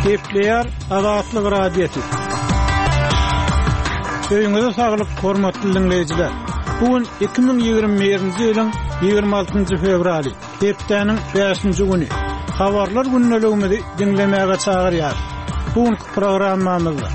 Gepleýär Azatlyk Radiosy. Öýüňize saglyk, hormatly diňleýjiler! Bu gün 2021-nji ýylyň 26-njy fewraly, hepdäniň bäşinji güni. Habarlar gündeligimizi diňlemäge çagyrýarys. Bu günki programmamyzda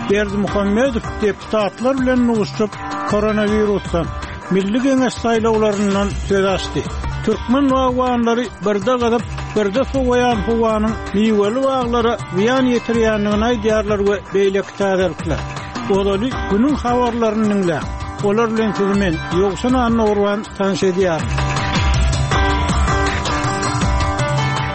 Berdimuhamedow deputatlar bilen duşuşyp, koronawirusdan, Milli Geňeş saýlawlaryndan söz açdy. Türkmen bagbanlary birde gyzyp, birde sowaýan howanyň miweli baglara zyýan ýetirýändigini aýdýarlar we beýleki täzelikler. Ozaly günüň habarlaryny diňläň. Olar bilen sizi men, Ýowşan Annagurban tanyş edýärin.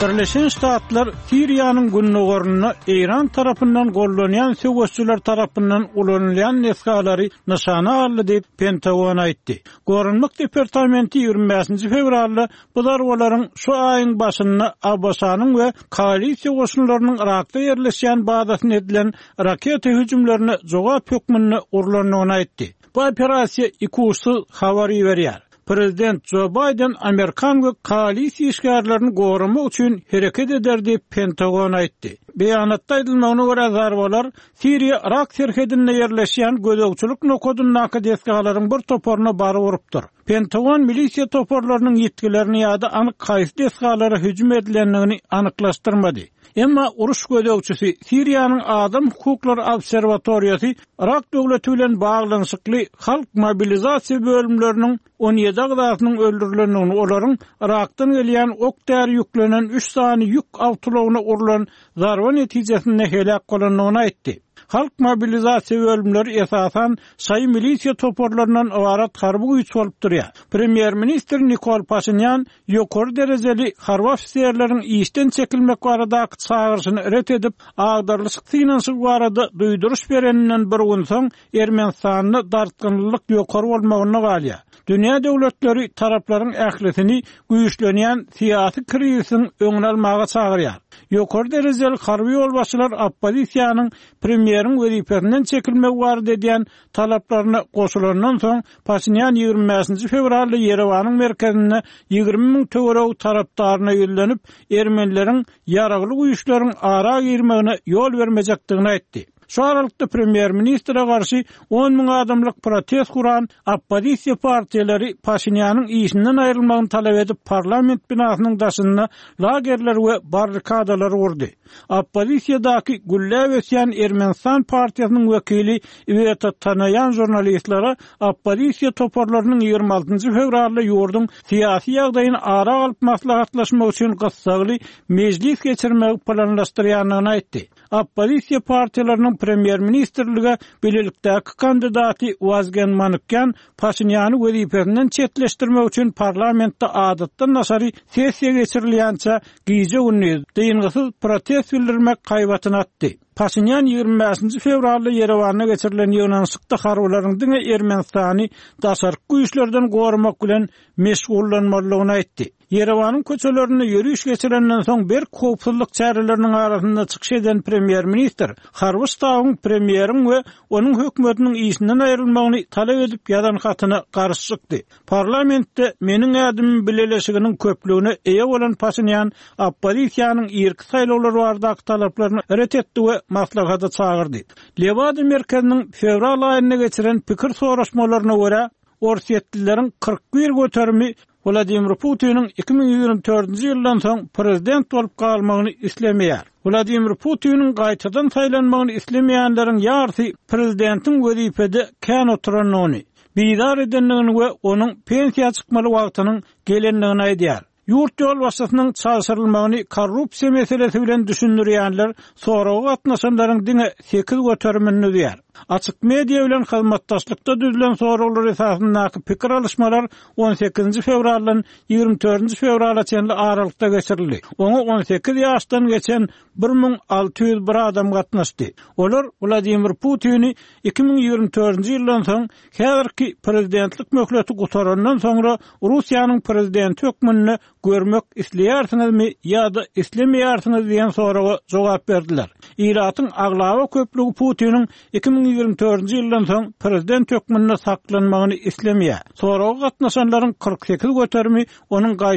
Birleşen Ştatlar Siriýanyň gündogarynda Eýran tarapyndan gollanýan söweşçiler tarapyndan ulanylýan desgalary nyşana aldy diýip, Pentagon aýtdy. Goranmak departamenti 25-nji fewralda bu zarbalaryň şu aýyň başynda ABŞ-nyň we koalisiýa goşunlarynyň Yrakda ýerleşýän bazasyna edilen raketa hüjümlerine jogap hökmünde urlandygyny aýtdy. Bu operasiýa ikuçsuz habar iberýär. Prezident Jo Baýden amerikan we koalisiýa işgärlerini goramak üçin hereket eder diýip, Pentagon aýtdy. Beýanatda aýdylmagyna görä, zarbalar Siriýa-Yrak serhedinde ýerleşýän gözegçilik nokadyndaky desgalaryň bir toparyna baryp urupdyr. Pentagon milisiýa toparlarynyň ýitgilerini ýa-da anyk haýsy desgalara hüjüm edilendigini anyklaşdyrmady. Emma uruş gözegçisi, Siriýanyň Adam hukuklary obserwatoriýasy Yrak döwleti bilen baglanyşykly halk mobilizasiýa bölümleriniň 17 agzasynyň öldürilendigini, olaryň Yrakdan gelýän ok-däri ýüklenen üç sany ýük awtoulagyna urlan zarba netijesinde heläk bolandygyny aýtdy. Halk mobilizasiýa bölümleri esasan şaýy milisiýa toparlaryndan ybarat harby güýç bolup durýar. Premýer-ministr Nikol Paşinýan ýokary derejeli harby ofiserleriň işden çekilmek baradaky çagyryşyny ret edip, agdarylyşyk synanyşygy barada duýduryş bereninden bir gün soň Ermenistanda dartgynlylyk ýokary bolmagynda galýar. Dünýä döwletleri taraplaryň ählisini güýçlenýän syýasy krizisiň öňüni almaga çagyrýar. Ýokary derejeli harby ýolbaşçylar oppozisiýanyň premýeriň wezipesinden çekilmegi barada edýän talaplaryna goşulandan soň, Paşinýan 25-nji fewralda Ýerewanyň merkezinde 20 müň töweregi tarapdaryna ýüzlenip, ermenileriň ýaragly güýçleriň ara girmegine ýol bermejekdigini aýtdy. Şu aralykda premýer-ministre garşy on müň adamlyk protest guran oppozisiýa partiýalary Paşinýanyň işinden aýrylmagyny talap edip parlament binasynyň daşynda lagerler we barrikadalary gurdy. Oppozisiýadaky gülläp ösýän Ermenistan partiýasynyň wekili Iweta Tanaýan žurnalistlere oppozisiýa toparlarynyň 26 fewralda ýurduň syýasy ýagdaýyny ara alyp maslahatlaşmak üçin gyssagly mejlis geçirmegi planlaşdyrýandygyny aýtdy. Oppozisiýa partiýalarynyň premýer-ministrlige bilelikdäki kandidaty Wazgen Manukýan Paşinýany wezipesinden çetleşdirmek üçin parlamentde adatdan daşary sessiýa geçirilýänçä gije-gündiz, dyngysyz protest bildirmek haýbatyny atdy. Paşinýan 25-nji fewralda Ýerewanda geçirilen ýygnanyşykda harbylaryň diňe Ermenistany daşarky güýçlerden goramak bilen meşgullanmalydygyny aýtdy. Ýerewanyň köçelerinde ýöriş geçirenden soň berk howpsuzlyk çäreleriniň arasynda çykyş eden premýer-ministr harby ştabyň premýeriň we onuň hökümetiniň işinden aýrylmagyny talap edip ýazan hatyna garşy çykdy. Parlamentde Meniň ädimim bileleşiginiň köplügine eýe bolan Paşinýan oppozisiýanyň irki saýlawlar baradaky talaplaryny ret etdi we maslahata çagyrdy. Lewada merkeziniň fewral aýynda geçiren pikir soraşmalaryna görä, orsýetlileriň 41 göterimi Wladimir Putiniň 2024-nji ýyldan soň prezident bolup galmagyny islemeýär. Wladimir Putiniň gaýtadan saýlanmagyny islemeýänleriň ýarysy prezidentiň wezipede kän oturandygyny, bizar edendigini we onuň pensiýa çykmaly wagtynyň gelendigini aýdýar. Ýurt ýolbaşçysynyň çalşyrylmagyny korrupsiýa meselesi bilen düşündirýänler soraga gatnaşanlaryň diňe sekiz göterimini düzýär. Açyk media bilen hyzmatdaşlykda düzülen soraglar esasyndaky pikir alyşmalar on sekizinji fewraldan 24-nji fewrala çenli aralykda geçirildi. Oňa 18 ýaşdan geçen 1601 adam gatnaşdy. Olar Wladimir Putini 2024-nji ýyldan soň häzirki prezidentlik möhleti gutarandan soňra Russiýanyň prezidenti hökmünde görmek isleýärsiňizmi ýa-da islemeýärsiňiz diýen soraga jogap berdiler. Ilatyň aglaba köplügi Putiniň 2024-nji ýyldan soň prezident hökmünde saklanmagyny islemeýär. Soraga gatnaşanlaryň 48 göterimi onuň gaýtadan.